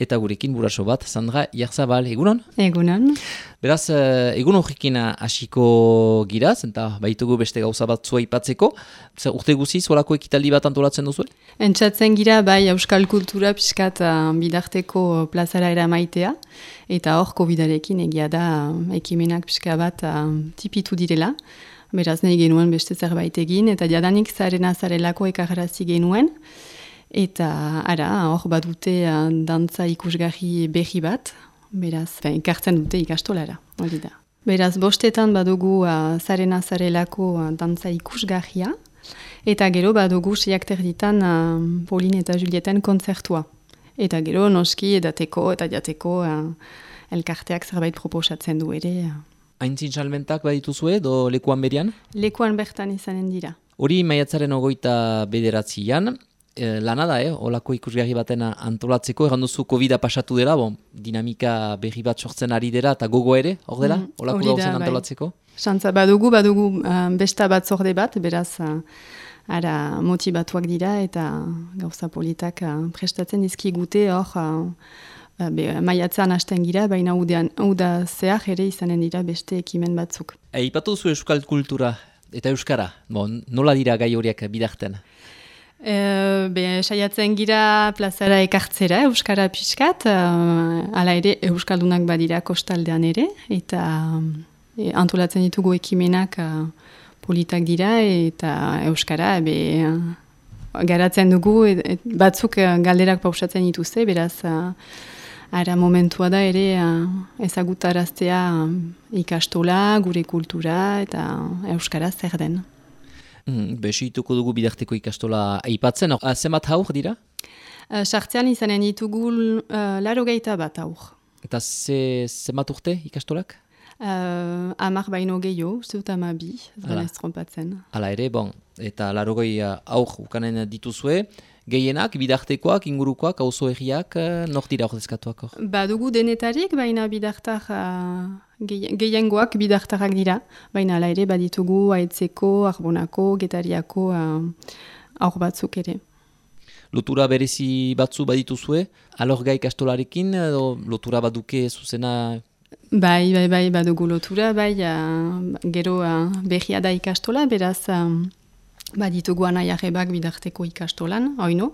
eta gurekin buraso bat, Sandra Iarzabal, egunon? Egunon. Beraz, egun horrekin hasiko giraz, eta baitugu beste gauza bat zua ipatzeko. Urte guziz, horako ekitaldi bat antolatzen duzu? Entzatzen gira, bai, euskal kultura pixkat bidarteko plazara eramaitea, eta hor COVID-arekin egia da ekimenak pixka bat tipitu direla. Beraz, nahi genuen beste zerbait egin, eta jadanik zarelako ekarrazi genuen. Eta hor badute dantza ikusgarri berri bat, beraz, ekartzen dute ikastolara, hori da. Beraz, bostetan badugu zarelako dantza ikusgarria, eta gero badugu seiak terditan Pauline eta Julieten kontzertua. Eta gero noski edateko eta jateko elkarteak zerbait proposatzen du ere. Aintzin salmentak badituzue, do lekuan berian? Lekuan bertan izanen dira. Hori maiatzaren 29an, lana da, olako ikusgarri baten antolatzeko, egan duzu COVID-a pasatu dela, dinamika berri bat sortzen ari dela, eta gogo ere, hor dela, olako gauzen antolatzeko? Santza badugu besta bat zorde bat, beraz, motibatuak dira, eta gauza politak prestatzen dizkigute hor, maiatzean hasten gira, baina uda zehar ere izanen dira beste ekimen batzuk. Ipatu duzu euskal kultura eta euskara, nola dira gai horiek bidarten? Saiatzen gira plazara ekartzera euskara pixkat, hala ere euskaldunak badira kostaldean ere, eta antolatzen ditugu ekimenak politak dira, eta euskara garatzen dugu, batzuk galderak pausatzen dituzte, beraz momentua da ere ezagutaraztea ikastola, gure kultura eta euskara zer den. Besituko dugu bidarteko ikastola aipatzen, zenbat haur dira? Sartzean izanen ditugu 80 bat haur. Eta zenbat urte ikastolak? 10 baino gehiago, uste dut 12, ez da ez trompatzen. Hala ere, eta 80 haur ukanen dituzue, gehienak, bidartekoak, ingurukoak, auzo herriak, nor dira ordezkatuak hor? Badugu denetarik, baina bidartar, gehiengoak bidartarak dira, baina ala ere baditugu Aitzeko, Arbonako, Getariako aur batzuk ere. Lotura berezi batzu badituzue, alorga ikastolarekin, lotura baduke zuzena? Bai, badugu lotura, gero berria da ikastola, beraz baditugu anaiarrebak bidarteko ikastolan, oino,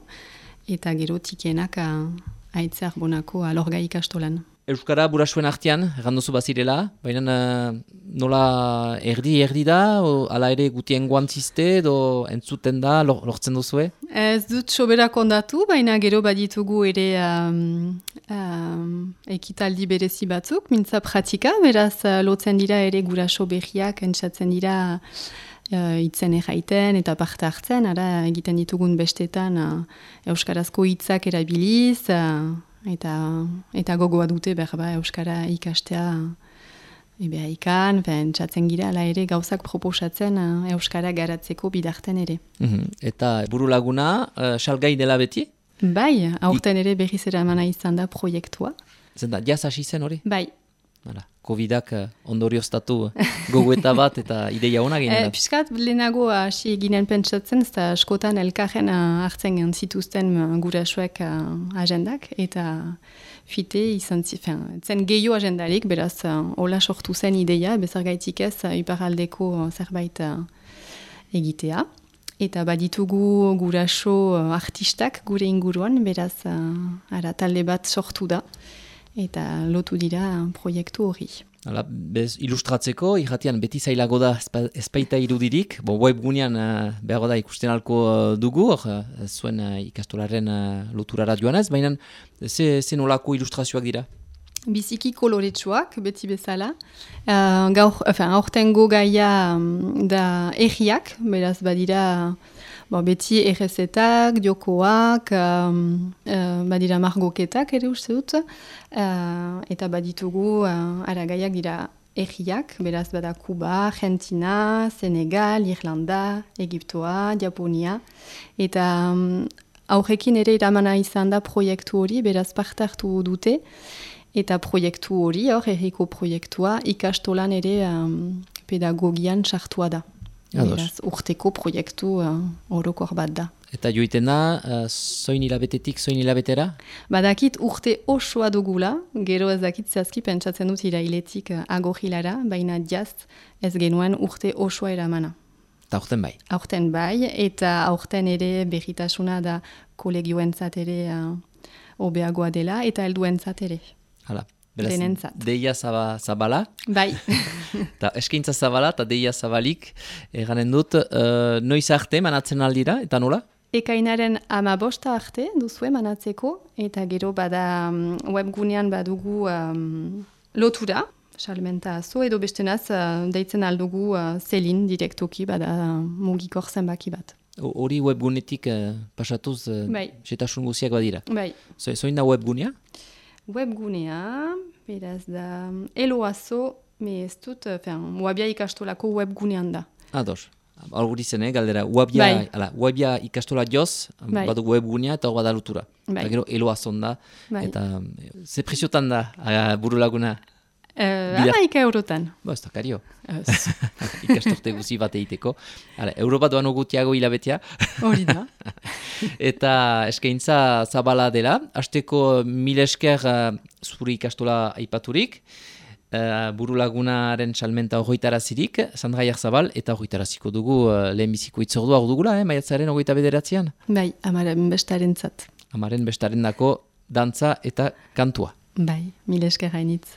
eta gero tikienak Aitze Arbonako alorga ikastolan. Euskara burasuen artean, erranduzu bazirela, baina nola erdi da, ala ere gutien guantzizte, entzuten da, lortzen duzue? Ez dut soberak ondatu, baina gero baditugu ere ekitaldi berezi batzuk, mintza pratika, beraz lotzen dira ere guraso berriak, entzatzen dira hitzen erraiten eta parte hartzen, egiten ditugun bestetan euskarazko hitzak erabiliz, eta gogoa dute berba euskara ikastea ikan, entzatzen gira, ala ere gauzak proposatzen euskara garatzeko bidarten ere. Eta buru laguna, salgai dela beti? Bai, aurten ere berriz eramana izan da proiektua. Zenta, jaz hasi zen hori? Bai. COVID-ak ondorioztatu gogoeta bat eta ideia hona ginen. Piskat lehenago hasi ginen pentsatzen, ez da askotan elkarren hartzen zituzten gurasoek agendak, eta fite izan zen gehiago agendarik, beraz hola sortu zen ideia, bezargaitik ez iparaldeko zerbait egitea. Eta baditugu guraso artistak gure inguruan, beraz talde bat sortu da. Eta lotu dira proiektu hori. Ilustratzeko, irratian beti zailago da ezpaita irudirik, webgunean behago da ikusten alko dugu, zuen ikastolaren loturara joanez, baina zen olako ilustrazioak dira? Biziki koloretsuak, beti bezala. Aurtengo gaia da erriak, beraz badira beti errezetak, diokoak, badira margoketak ere uste dut, eta baditugu gaiak dira erriak, beraz bada Kuba, Argentina, Senegal, Irlanda, Egiptoa, Japonia, eta aurrekin ere iramana izan da proiektu hori, beraz parte hartu dute, eta proiektu hori, erriko proiektua, ikastolan ere pedagogian sartua da. Beraz, urteko proiektu orokor bat da. Eta joiten da, zoin hilabetetik, zoin hilabetera? Badakit urte osoa dugula, gero ez dakit zehazki pentsatzen dut irailetik agohilara, baina jaz ez genuen urte osoa eramana. Eta aurten bai. Aurten bai, eta aurten ere berritasuna da kolegioentzat ere hobeagoa dela, eta helduentzat ere. Hala. Beraz, denentzat. Deia zabala. Bai. Eta eskaintza zabala eta deia zabalik. Eganen dut, noiz arte manatzen aldira, eta nola? Ekainaren 15 arte duzue manatzeko, eta gero bada webgunean badugu lotura, salmenta azo, edo bestenaz deitzen aldugu zelin direktoki bada mugikor zenbaki bat. Hori webgunetik pasatuz setasun guziak badira. Bai. Zoin da webgunea? Webgunea, beraz da, eloazo, me ez dut, Wabia ikastolako webgunean da. Ados. Hori zen, galdera, Wabia ikastola joz, badu webgunea eta hor bada lotura. Eta gero eloazon da, eta ze preziotan da buru laguna? 11 eurotan. Ez da, kario. Ikastorte guzi bat egiteko. Euro bat doan ogutiago hilabetea. Hori da. Eta eskaintza zabala dela. Hasteko 1000 esker zure ikastola aipaturik. Buru lagunaren salmenta horretarazirik, Sandra Jarzabal, eta horretaraziko dugu lehenbiziko itzordua hor dugula, maiatzaren 29an? Bai, amaren bestaren zat. Amaren bestaren dako dantza eta kantua. Bai, 1000 esker hainitz.